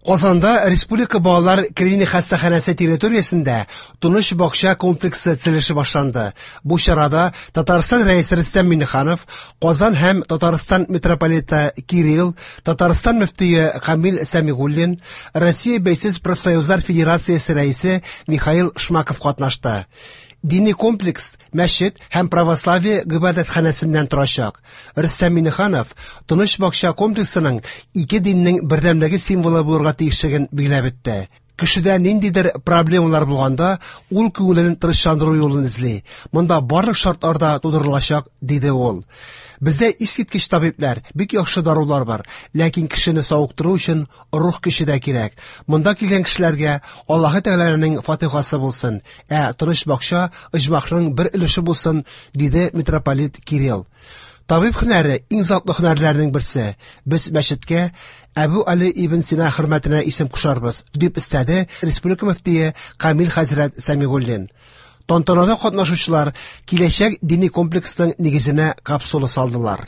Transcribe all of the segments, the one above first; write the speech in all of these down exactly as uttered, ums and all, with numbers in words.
Казанда Республика балалар клиник хастаханәсе территориясендә Тыныч бакча комплексы төзелеше башланды. Бу чарада Татарстан Рәисе Рөстәм Миңнеханов, Казан һәм Татарстан митрополиты Кирилл, Татарстан мөфтие Камил Сәмигуллин, Россия Бәйсез профсоюзлар федерациясе рәисе Михаил Шмаков катнашты. Дини комплекс мәчет һәм православие гыйбадәтханәсеннән торачак. Рөстәм Миңнеханов Тыныч бакча комплексының ике диннең бердәмлеге символы булырга тиешлеген билгеләп үтте. Кешедә ниндидер проблемалар булганда, ул күңелен тынычландыру юлын эзли. Монда барлык шартлар да тудырылачак, диде ул. Бездә искиткеч табибләр, бик яхшы дарулар бар, ләкин кешене савыктыру өчен рух көче дә кирәк. Монда килгән кешеләргә Аллаһы Тәгаләнең фатихасы булсын, ә тыныч бакча оҗмахның бер өлеше булсын, диде митрополит Кирилл. Табиб һөнәре иң затлы һөнәрләрнең берсе. Без мәчеткә Әбү Али ибн Сина хөрмәтенә исем кушарбыз, дип өстәде республика мөфтие Камил хәзрәт Сәмигуллин. Тантанада катнашучылар киләчәк дини комплексның нигезенә капсула салдылар.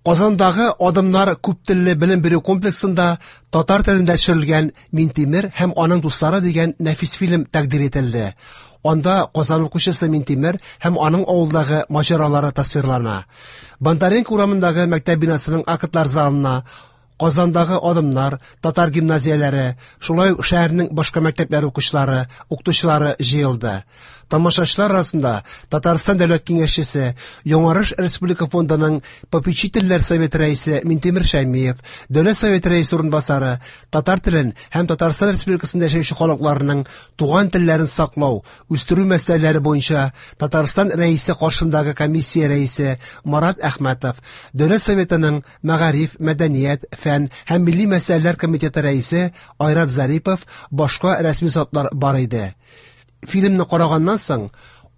Казандагы Адымнар күптелле белем бирү комплексында татар телендә төшерелгән Минтимер һәм аның дуслары дигән нәфис фильм тәкъдир ителде. Анда Казан укучысы Минтимер һәм аның авылдагы маҗаралары тасвирлана. Бондаренко урамындагы мәктәп бинасының актлар залына Казандагы Адымнар, татар гимназияләре, шулай ук шәһәрнең башка мәктәпләре укучылары, укытучылары җыелды. Тамашачылар арасында Татарстан Дәүләт Киңәшчесе, Яңарыш Республика фондының попечительләр советы рәисе Минтимер Шәймиев, Дәүләт Советы рәисе урынбасары, татар телен һәм Татарстан Республикасында яшәүче халыкларының туган телләрен саклау, үстерү мәсьәләләре буенча Татарстан Рәисе каршындагы комиссия рәисе Марат Әхмәтов, Дәүләт Советының мәгариф, мәдәният, фән һәм милли мәсьәләләр комитеты рәисе Айрат Зарипов, башка рәсми затлар бар иде. Фильмны караганнан соң,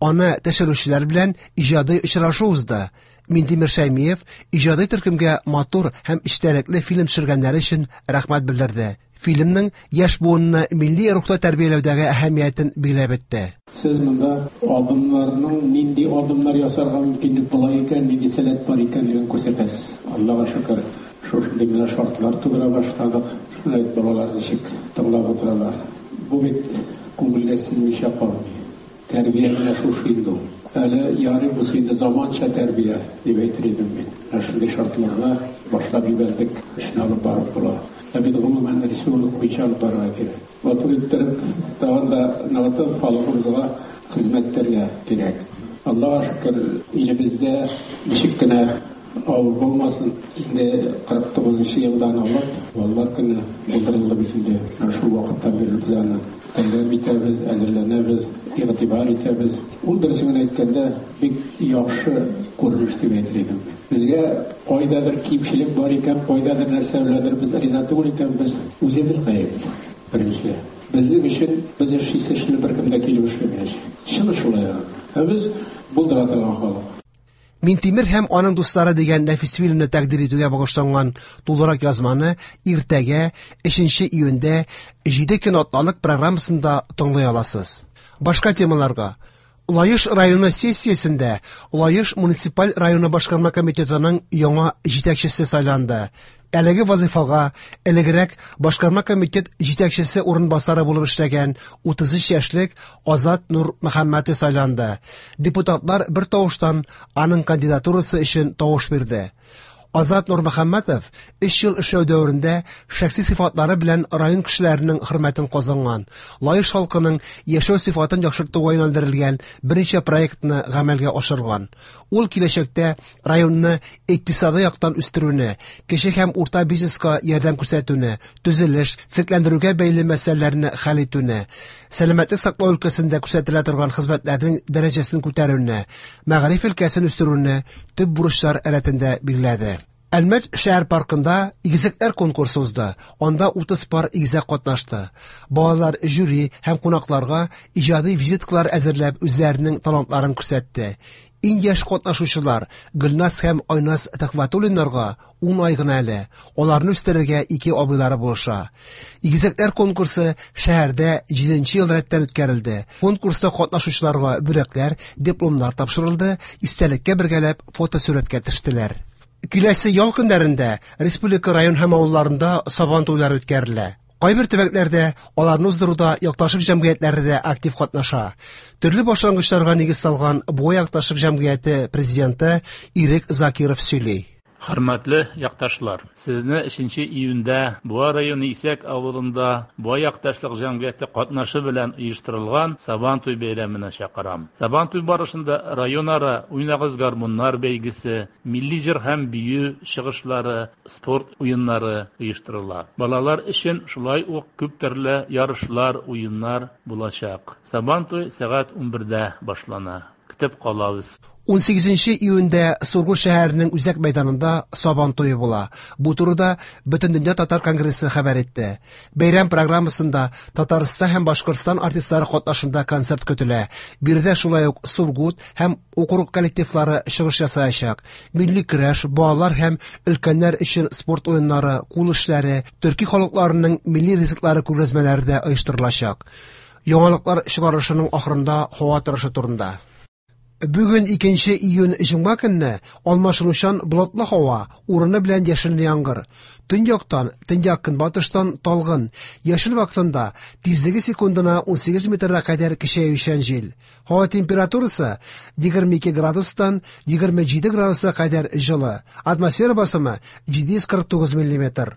аны төшерүчеләр белән иҗади очрашу узды. Минтимер Шәймиев иҗади төркемгә матур һәм эчтәлекле фильм төшергәннәре өчен рәхмәт белдерде. Фильмның яшь буынны милли рухта тәрбияләүдәге әһәмиятен билгеләп үтте. Сез монда адымнарның нинди адымнар ясарга мөмкинлек була икән, нинди сәләт бар икәнлеген күрсәтәсез. Аллага шөкер, шушындый менә шартлар тудыра башладык. Шулай балалар ничек тыңлап утыралар. Бу бит күңелгә сеңмичә калмый. Тәрбия менә шушы инде ул. Әле ярый булса инде заманча тәрбия дип әйтер идем мин. Менә шундый шартларда башлап җибәрдек, эшне алып барып була. Ә бит гомумән республика буенча алып барырга кирәк. Матур иттереп, тагын да ныгытып халкыбызга хезмәт итәргә кирәк. Аллага шөкер, илебездә ничек кенә авыр булмасын, инде кырык тугызынчы елдан алып балалар көне булдырылды бит инде. Менә шул вакыттан бирле без аны бәйрәм итәбез, әзерләнәбез, игътибар итәбез. Ул дөресен генә әйткәндә бик яхшы күренеш дип әйтер идем. Безгә кайдадыр кимчелек бар икән, кайдадыр нәрсә беләндер без риза түгел икән, без үзебез гаепле. Беренче. Безнең өчен без эшлисе эшне беркем дә килеп эшләмәячәк. Чын шулай. Ә без булдыра торган халык. Минтимер һәм аның дуслары дигән нәфис фильмны тәкъдир итүгә багышланган тулырак язманы иртәгә өченче июньдә җиде көн атналык программасында тыңлый аласыз. Башка темаларга. Лаеш районы сессиясендә Лаеш муниципаль районы башкарма комитетының яңа җитәкчесе сайланды. Әлеге вазифага элегрәк башкарма комитет җитәкчесе урынбасары булып эшләгән утыз өч яшьлек Азат Нурмөхәммәтов сайланды. Депутатлар бер тавыштан аның кандидатурасы өчен тавыш бирде. Азат Нурмөхәммәтов өч ел эшләү дәверендә шәхси сыйфатлары белән район кешеләренең хөрмәтен казанган, Лаеш халкының яшәү сыйфатын яхшыртуга юнәлдерелгән берничә проектны гамәлгә ашырган. Ул киләчәктә районны икътисади яктан үстерүне, кече һәм урта бизнеска ярдәм күрсәтүне, төзелеш, төзекләндерүгә бәйле мәсьәләләрне хәл итүне, сәламәтлек саклау өлкәсендә күрсәтелә торган хезмәтләрнең дәрәҗәсен күтәрүне, мәгариф өлкәсен үстерүне төп бурычлар рәтендә билгеләде. Әлмәт шәһәр паркында игезәкләр конкурсы узды. Анда утыз пар игезәк катнашты. Балалар жюри һәм кунакларга иҗади визиткалар әзерләп үзләренең талантларын күрсәтте. Иң яшь катнашучылар Гөлназ һәм Айназ Төхвәтуллиннарга ун ай гына әле. Аларны үстерергә ике абыйлары булыша. Игезәкләр конкурсы шәһәрдә җиденче ел рәттән үткәрелде. Конкурста катнашучыларга бүләкләр, дипломнар тапшырылды, истәлеккә бергәләп фотосурәткә төштеләр. Киләсе ял көннәрендә республика район һәм авылларында Сабан туйлары үткәрелә. Кайбер төбәкләрдә аларны уздыруда якташлык җәмгыятьләре дә актив катнаша. Төрле башлангычларга нигез салган Буа якташлык җәмгыяте президенты Ирек Закиров сөйли. Хөрмәтле якташлар, сезне өченче июньдә Буа районы Исәк авылында Буа якташлык җәмгыяте катнашы белән оештырылган Сабантуй бәйрәменә чакырам. Сабантуй барышында районара уйнагыз гармуннар бәйгесе, милли җыр һәм бию чыгышлары, спорт уеннары оештырыла. Балалар өчен шулай ук күп төрле ярышлар, уеннар булачак. Сабантуй сәгать унбердә башлана. Көтеп калабыз. Унсигезенче июньдә Сургут шәһәренең үзәк мәйданында Сабан туе була. Бу турыда Бөтендөнья татар конгрессы хәбәр итте. Бәйрәм программасында Татарстан һәм Башкортстан артистлары катнашында концерт көтелә. Биредә шулай ук Сургут һәм округ коллективлары чыгыш ясаячак. Милли көрәш, балалар һәм өлкәннәр өчен спорт уеннары, кул эшләре, төрки халыкларының милли ризыклары күргәзмәләре дә оештырылачак. Яңалыклар чыгарылышының ахырында һава торышы турында. Бүген икенче июнь җомга көнне алмашынучан болытлы һава, урыны белән яшенле яңгыр. Төньяктан, төньяк көнбатыштан талгын, яшен вакытында тизлеге секундына унсигез метрга кадәр көчәючән җил. Һава температурасы егерме ике градустан егерме җиде градуска кадәр җылы. Атмосфера басымы җиде йөз кырык тугыз миллиметр.